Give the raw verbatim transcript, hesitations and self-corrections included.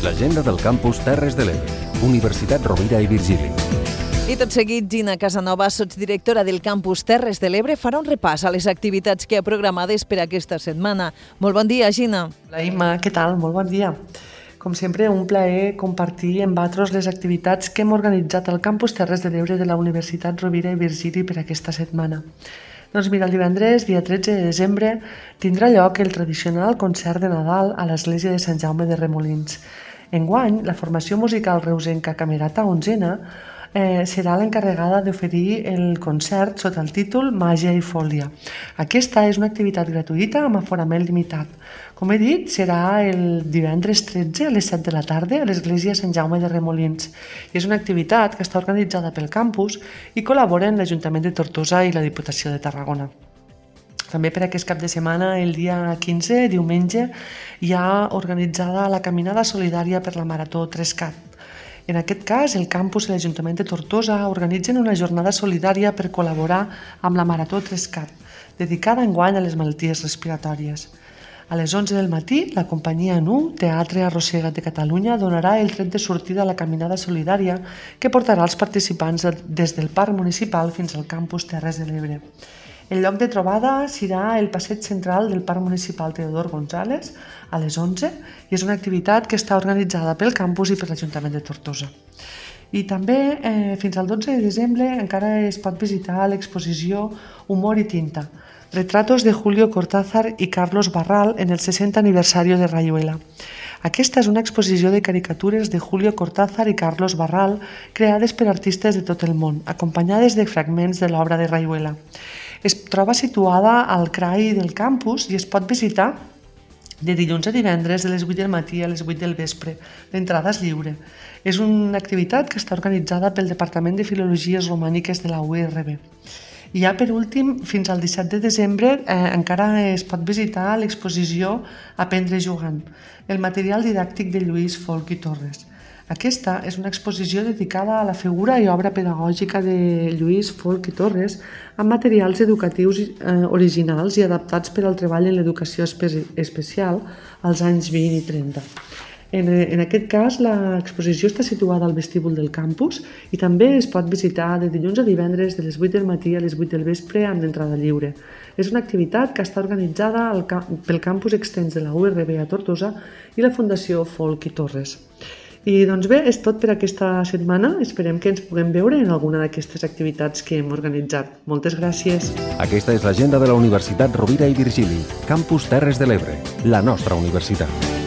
L'agenda del campus Terres de l'Ebre, Universitat Rovira i Virgili. I tot seguit, Gina Casanova, sotsdirectora del campus Terres de l'Ebre, farà un repàs a les activitats que ha programades per aquesta setmana. Molt bon dia, Gina. Hola, Imma, què tal? Molt bon dia. Com sempre, un plaer compartir amb vosaltres les activitats que hem organitzat al campus Terres de l'Ebre de la Universitat Rovira i Virgili per aquesta setmana. Doncs mira, el divendres, dia tretze de desembre, tindrà lloc el tradicional concert de Nadal a l'església de Sant Jaume de Remolins. Enguany, la formació musical reusenca Camerata Onzena eh, serà l'encarregada d'oferir el concert sota el títol Màgia i Fòlia. Aquesta és una activitat gratuïta amb aforament limitat. Com he dit, serà el divendres tretze a les set de la tarda a l'església Sant Jaume de Remolins. I és una activitat que està organitzada pel campus i col·laboren l'Ajuntament de Tortosa i la Diputació de Tarragona. També per aquest cap de setmana, el dia quinze, diumenge, hi ha organitzada la Caminada Solidària per la Marató Trescat. En aquest cas, el campus i l'Ajuntament de Tortosa organitzen una jornada solidària per col·laborar amb la Marató Trescat, dedicada enguany a les malalties respiratòries. A les onze del matí, la companyia N U, Teatre Arrossegat de Catalunya, donarà el tret de sortida a la Caminada Solidària que portarà els participants des del Parc Municipal fins al campus Terres de l'Ebre. El lloc de trobada serà el passeig central del Parc Municipal Teodor González a les onze i és una activitat que està organitzada pel campus i per l'Ajuntament de Tortosa. I també eh, fins al dotze de desembre encara es pot visitar l'exposició Humor i tinta, retratos de Julio Cortázar i Carlos Barral en el seixantè aniversari de Rayuela. Aquesta és una exposició de caricatures de Julio Cortázar i Carlos Barral creades per artistes de tot el món, acompanyades de fragments de l'obra de Rayuela. Es troba situada al C R A I del campus i es pot visitar de dilluns a divendres de les vuit del matí a les vuit del vespre. L'entrada és lliure. És una activitat que està organitzada pel Departament de Filologies Romàniques de la U R B. I ja per últim, fins al disset de desembre eh, encara es pot visitar l'exposició Aprendre jugant, el material didàctic de Lluís Folch i Torres. Aquesta és una exposició dedicada a la figura i obra pedagògica de Lluís Folch i Torres amb materials educatius eh, originals i adaptats per al treball en l'educació espe- especial als anys vint i trenta. En, en aquest cas, l'exposició està situada al vestíbul del campus i també es pot visitar de dilluns a divendres de les vuit del matí a les vuit del vespre amb l'entrada lliure. És una activitat que està organitzada al, pel campus extens de la U R B a Tortosa i la Fundació Folch i Torres. I doncs bé, és tot per aquesta setmana. Esperem que ens puguem veure en alguna d'aquestes activitats que hem organitzat. Moltes gràcies. Aquesta és l'agenda de la Universitat Rovira i Virgili, campus Terres de l'Ebre, la nostra universitat.